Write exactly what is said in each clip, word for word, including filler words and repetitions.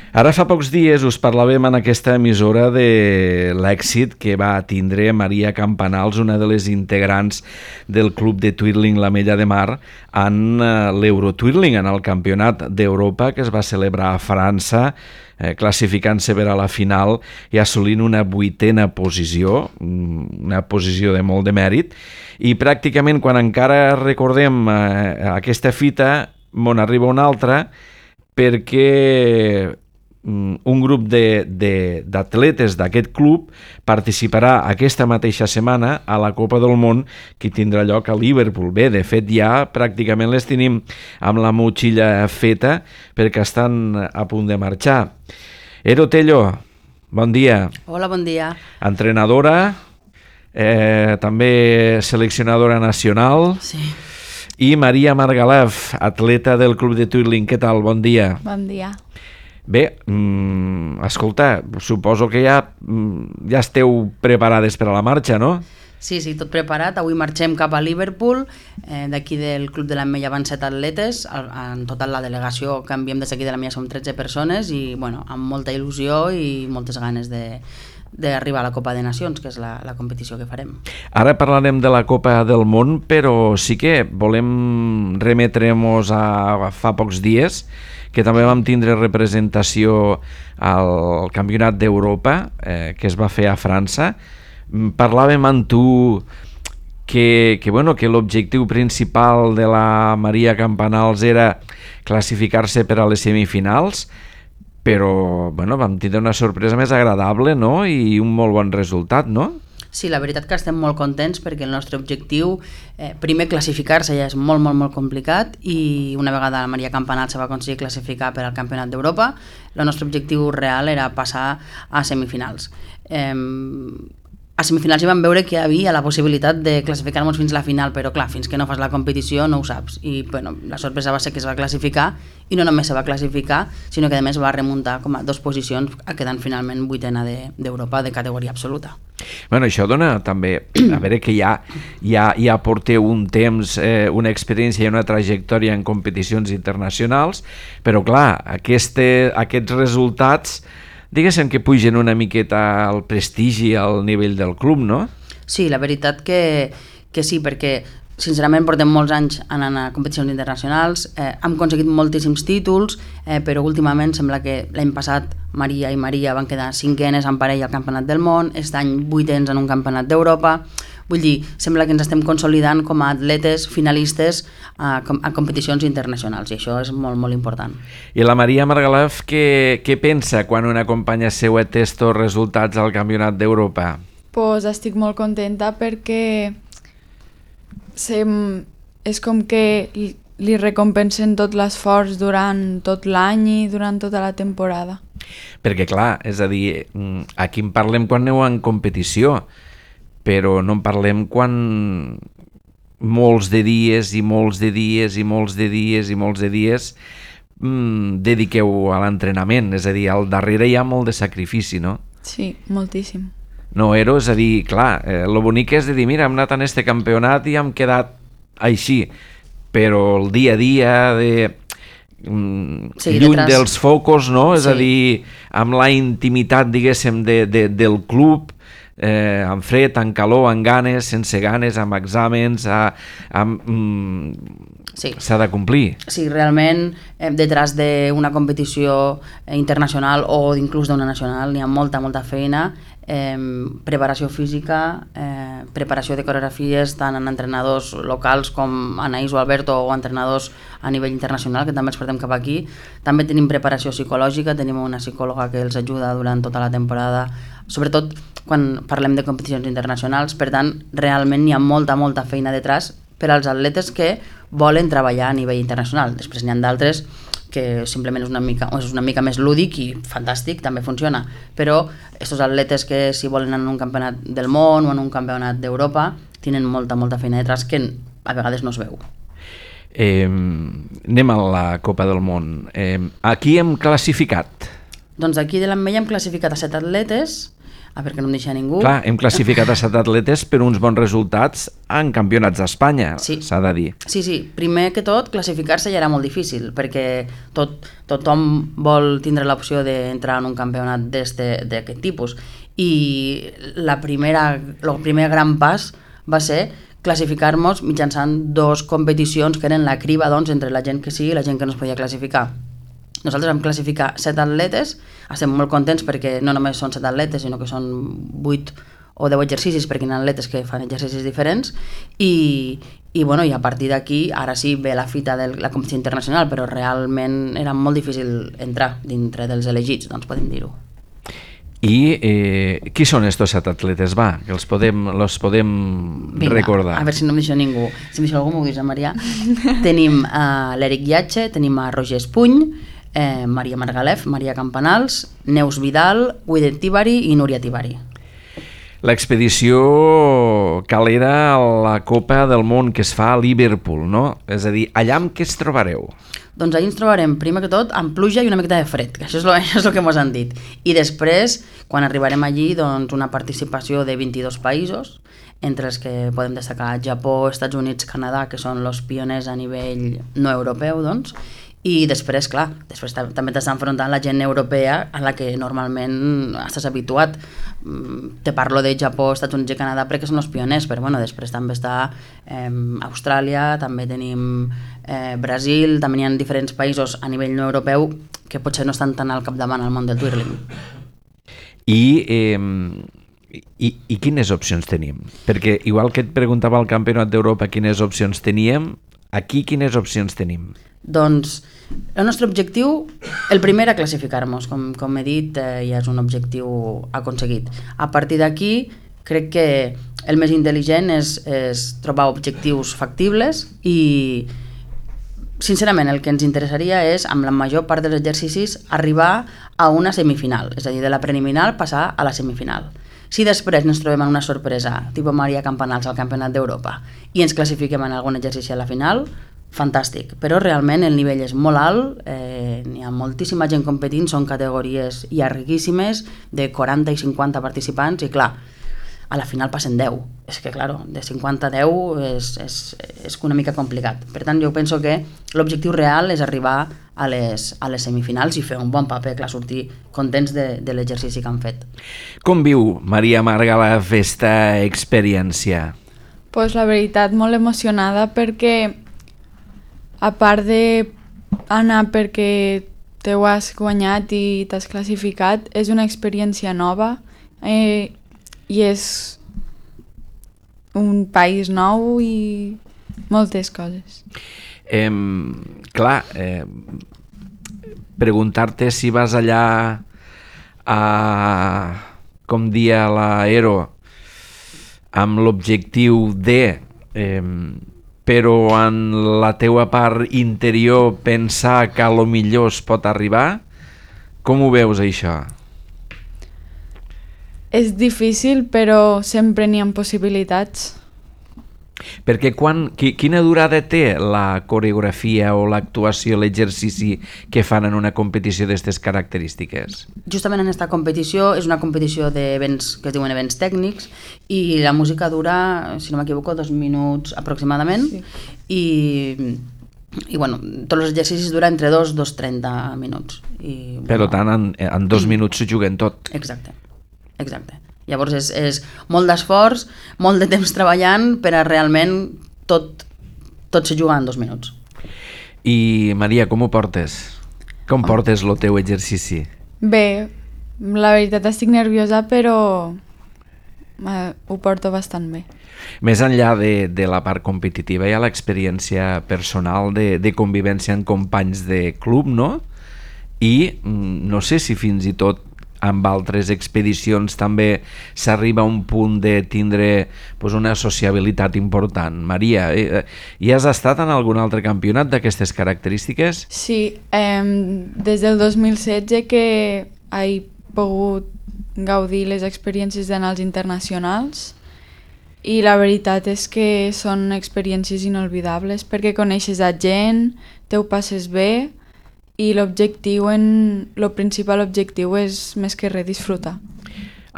Ara fa pocs dies us parlàvem en aquesta emissora de l'èxit que va tindre Maria Campanals, una de les integrants del club de Twirling La Mella de Mar, en l'Eurotwirling, en el Campionat d'Europa que es va celebrar a França, eh, classificant-se per a la final i assolint una vuitena posició, una posició de molt de mèrit, i pràcticament quan encara recordem eh, aquesta fita, m'on arriba una altra, perquè un grup d'atletes d'aquest club participarà aquesta mateixa setmana a la Copa del Món que tindrà lloc a Liverpool. Bé, de fet ja pràcticament les tenim amb la motxilla feta perquè estan a punt de marxar. Ero Tello, bon dia. Hola, bon dia. Entrenadora, eh, també seleccionadora nacional. Sí. I Maria Margalef, atleta del Club de Twirling. Què tal? Bon dia. Bon dia. Bé, mm, escolta, suposo que ja, ja esteu preparades per a la marxa, no? Sí, sí, tot preparat. Avui marxem cap a Liverpool. Eh, D'aquí del Club de l'Ametlla van set atletes. En total la delegació que enviem des d'aquí de l'Ametlla som tretze persones i bueno, amb molta il·lusió i moltes ganes de d'arribar a la Copa de Nacions, que és la, la competició que farem. Ara parlarem de la Copa del Món, però sí que volem remetre-nos a, a fa pocs dies, que també vam tindre representació al Campionat d'Europa, eh, que es va fer a França. Parlàvem amb tu que, que, bueno, que l'objectiu principal de la Maria Campanals era classificar-se per a les semifinals, però bueno, vam tindre una sorpresa més agradable, no? I un molt bon resultat, no? Sí, la veritat que estem molt contents perquè el nostre objectiu, eh, primer classificar-se ja és molt, molt, molt complicat i una vegada la Maria Campanals se va aconseguir classificar per al Campionat d'Europa, el nostre objectiu real era passar a semifinals. Eh, a semifinals hi vam veure que hi havia la possibilitat de classificar-nos fins a la final, però clar, fins que no fas la competició no ho saps. I bueno, la sorpresa va ser que es va classificar i no només se va classificar, sinó que a més va remuntar com a dues posicions, quedant finalment vuitena d'Europa de, de categoria absoluta. Bueno, això dona també, a veure que ja, ja, ja porteu un temps, eh, una experiència i una trajectòria en competicions internacionals, però clar, este, aquests resultats diguéssim que pugen una miqueta al prestigi, al nivell del club, no? Sí, la veritat que, que sí, perquè sincerament portem molts anys anant a competicions internacionals, eh, hem aconseguit moltíssims títols, eh, però últimament sembla que l'any passat Maria i Maria van quedar cinquenes en parella al Campionat del Món, aquest any vuitens en un Campionat d'Europa. Vull dir, sembla que ens estem consolidant com a atletes finalistes a, a competicions internacionals i això és molt, molt important. I la Maria Margalef, què, què pensa quan una companya seva té estos resultats al Campionat d'Europa? Pues estic molt contenta perquè sem, és com que li, li recompensen tot l'esforç durant tot l'any i durant tota la temporada. Perquè clar, és a dir, aquí en parlem quan aneu en competició, però no en parlem quan molts de dies i molts de dies i molts de dies i molts de dies mmm, dediqueu a l'entrenament, és a dir, al darrere hi ha molt de sacrifici, no? Sí, moltíssim. No, Ero, és a dir, clar, eh, lo bonic és de dir, mira, hem anat en este campionat i hem quedat així, però el dia a dia de... Sí, lluny detrás dels focus, no? És sí. A dir, amb la intimitat, diguéssim, de, de, del club, eh, amb fred, amb calor, amb ganes, sense ganes, amb exàmens, a, amb, mm, sí. S'ha de complir. Sí, realment, eh, detrás d'una competició internacional o inclús d'una nacional hi ha molta, molta feina, eh, preparació física, eh, preparació de coreografies tant en entrenadors locals com Anaïs o Alberto o entrenadors a nivell internacional, que també els portem cap aquí. També tenim preparació psicològica, tenim una psicòloga que els ajuda durant tota la temporada, sobretot quan parlem de competicions internacionals. Per tant, realment hi ha molta, molta feina detrás per als atletes que volen treballar a nivell internacional. Després n'hi ha d'altres que simplement és una mica, és una mica més lúdic i fantàstic, també funciona, però aquests atletes que si volen anar en un campionat del món o en un campionat d'Europa tenen molta, molta feina detrás que a vegades no es veu. Eh, anem a la Copa del Món. Eh, aquí hem classificat? Doncs aquí de l'Ametlla hem classificat a set atletes, a veure que no em deixa ningú. Clar, hem classificat a set atletes per uns bons resultats en campionats d'Espanya, sí. s'ha de dir. Sí, sí, primer que tot, classificar-se ja era molt difícil, perquè tot, tothom vol tindre l'opció d'entrar en un campionat d'aquest tipus. I la primera, el primer gran pas va ser classificar-nos mitjançant dos competicions que eren la criba, doncs, entre la gent que sí i la gent que no es podia classificar. Nosaltres vam classificar set atletes, estem molt contents perquè no només són set atletes, sinó que són vuit o deu exercicis, perquè hi ha atletes que fan exercicis diferents, i, i, bueno, i a partir d'aquí, ara sí ve la fita de la competició internacional, però realment era molt difícil entrar dintre dels elegits, doncs podem dir-ho. I eh, qui són estos set atletes? Va, que els podem, los podem Vinga, recordar. A veure si no em deixa ningú. Si em deixa algú, m'ho dius, Maria. Tenim uh, l'Eric Iatxe, tenim a Roger Espuny, eh, Maria Margalef, Maria Campanals, Neus Vidal, Guidet Tibari i Núria Tibari. L'expedició calera a la Copa del Món que es fa a Liverpool, no? És a dir, allà amb què es trobareu? Doncs ahir ens trobarem, primer que tot, amb pluja i una miqueta de fred, que això és, lo, això és el que ens han dit. I després, quan arribarem allí, doncs una participació de vint-i-dos països, entre els que podem destacar Japó, Estats Units, Canadà, que són els pioners a nivell no europeu, doncs, i després, clar, després també t'està enfrontant la gent europea a la que normalment estàs habituat. Te parlo de Japó, Estats Units i Canadà perquè són els pioners, però bueno, després també està eh, Austràlia, també tenim eh, Brasil, també hi ha diferents països a nivell no europeu que potser no estan tan al capdavant al món del twirling. I, eh, i, i quines opcions tenim? Perquè igual que et preguntava al Campionat d'Europa quines opcions teníem, aquí quines opcions tenim? Doncs el nostre objectiu, el primer a classificar-nos, com, com he dit, eh, ja és un objectiu aconseguit. A partir d'aquí, crec que el més intel·ligent és, és trobar objectius factibles i, sincerament, el que ens interessaria és, amb la major part dels exercicis, arribar a una semifinal, és a dir, de la preliminar passar a la semifinal. Si després ens trobem en una sorpresa, tipus Maria Campanals al Campionat d'Europa, i ens classifiquem en algun exercici a la final, fantàstic, però realment el nivell és molt alt, eh, hi ha moltíssima gent competint, són categories llarguíssimes, de quaranta i cinquanta participants, i clar, a la final passen deu. És que, clar, de cinquanta a deu és, és, és una mica complicat. Per tant, jo penso que l'objectiu real és arribar a les, a les semifinals i fer un bon paper, clar, sortir contents de, de l'exercici que han fet. Com viu Maria Margalef aquesta experiència? Pues la veritat, molt emocionada perquè, a part d'anar perquè t'ho has guanyat i t'has classificat, és una experiència nova eh, i és un país nou i moltes coses. Eh, clar, eh, preguntar-te si vas allà a, com dia l'aero, amb l'objectiu de... Eh, però en la teua part interior pensar que a lo millor es pot arribar, com ho veus això? És difícil, però sempre n'hi ha possibilitats. Perquè quan, quina durada té la coreografia o l'actuació, l'exercici que fan en una competició d'aquestes característiques? Justament en aquesta competició és una competició d'events que es diuen events tècnics i la música dura, si no m'equivoco, dos minuts aproximadament, sí. i, i bueno, tots els exercicis duren entre dos i dos i trenta minuts. I, per bueno, tant, en, en dos minuts s'ho juguen tot. Exacte, exacte. Llavors és, és molt d'esforç, molt de temps treballant per a realment tot, tot se juga en dos minuts. I Maria, com ho portes? Com oh. portes el teu exercici? Bé, la veritat estic nerviosa, però eh, ho porto bastant bé. Més enllà de, de la part competitiva, hi ha l'experiència personal de, de convivència amb companys de club, no? I no sé si fins i tot amb altres expedicions també s'arriba a un punt de tindre pues, una sociabilitat important. Maria, eh, hi has estat en algun altre campionat d'aquestes característiques? Sí, eh, des del dos mil setze que he pogut gaudir les experiències d'anals internacionals i la veritat és que són experiències inolvidables perquè coneixes a gent, te ho passes bé i l'objectiu, en, el principal objectiu és més que res disfrutar.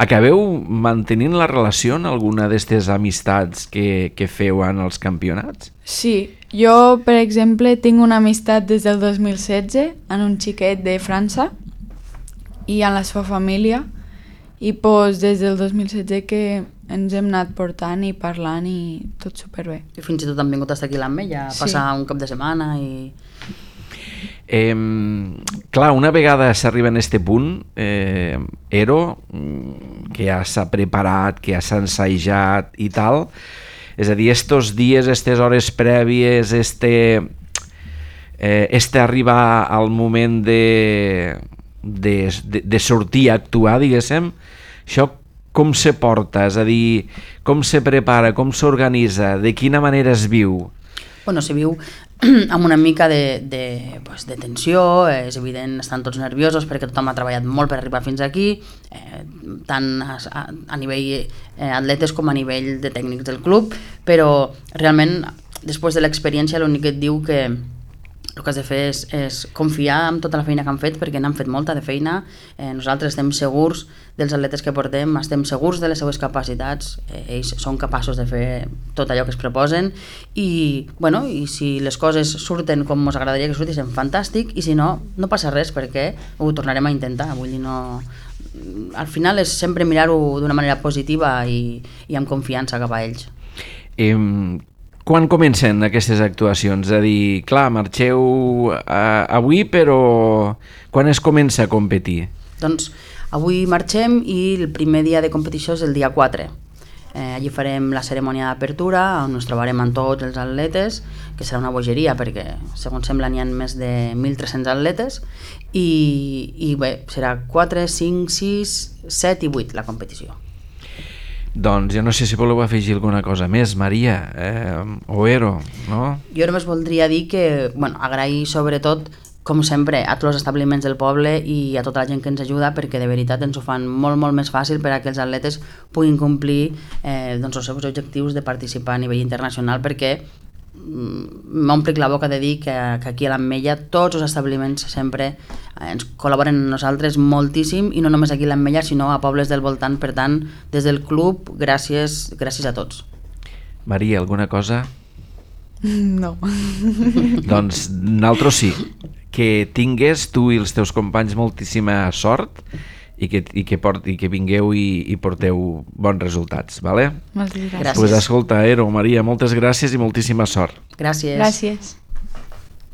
Acabeu mantenint la relació en alguna d'aquestes amistats que, que feu en els campionats? Sí, jo, per exemple, tinc una amistat des del dos mil setze amb un xiquet de França i amb la seva família, i pues, des del dos mil setze que ens hem anat portant i parlant i tot superbé. I fins i tot han vingut hasta aquí a l'Ametlla a passar sí. un cap de setmana i... Eh, clar, una vegada s'arriba en este punt, eh, Ero, que ja s'ha preparat, que ja s'ha ensajat i tal, és a dir, estos dies, estes hores prèvies, este, eh, este arribar al moment de, de, de, de sortir a actuar, diguéssim, això com se porta? És a dir, com se prepara, com s'organitza, de quina manera es viu? Bueno, se viu amb una mica de, de, pues, de tensió, és evident, estan tots nerviosos perquè tothom ha treballat molt per arribar fins aquí, eh, tant a, a, a nivell eh, atletes com a nivell de tècnics del club, però realment, després de l'experiència, l'únic que et diu que el que has de fer és, és confiar en tota la feina que han fet, perquè n'han fet molta de feina. Eh, nosaltres estem segurs dels atletes que portem, estem segurs de les seues capacitats, eh, ells són capaços de fer tot allò que es proposen i, bueno, i si les coses surten com ens agradaria que surtissin, fantàstic, i si no, no passa res perquè ho tornarem a intentar. Vull dir, no... Al final és sempre mirar-ho d'una manera positiva i, i amb confiança cap a ells. Eh, Quan comencen aquestes actuacions? És a dir, clar, marxeu eh, avui, però quan es comença a competir? Doncs avui marxem i el primer dia de competició és el dia quatre. Eh, allí farem la cerimònia d'apertura, on ens trobarem amb tots els atletes, que serà una bogeria perquè, segons sembla, n'hi ha més de mil tres-cents atletes, i, i bé, serà quatre, cinc, sis, set i vuit la competició. Doncs jo no sé si voleu afegir alguna cosa més, Maria, eh, o Ero, no? Jo només voldria dir que, bueno, agrair sobretot, com sempre, a tots els establiments del poble i a tota la gent que ens ajuda, perquè de veritat ens ho fan molt, molt més fàcil per a que els atletes puguin complir eh, doncs, els seus objectius de participar a nivell internacional, perquè m'omplic la boca de dir que, que aquí a l'Ametlla tots els establiments sempre ens col·laboren amb nosaltres moltíssim, i no només aquí a l'Ametlla sinó a pobles del voltant. Per tant, des del club, gràcies, gràcies a tots. Maria, alguna cosa? No. Doncs nosaltres sí, que tingues tu i els teus companys moltíssima sort i que, i que, port, i que vingueu i, i porteu bons resultats, vale? Moltes gràcies. Gràcies. Pues escolta, Ero, Maria, moltes gràcies i moltíssima sort. Gràcies. Gràcies.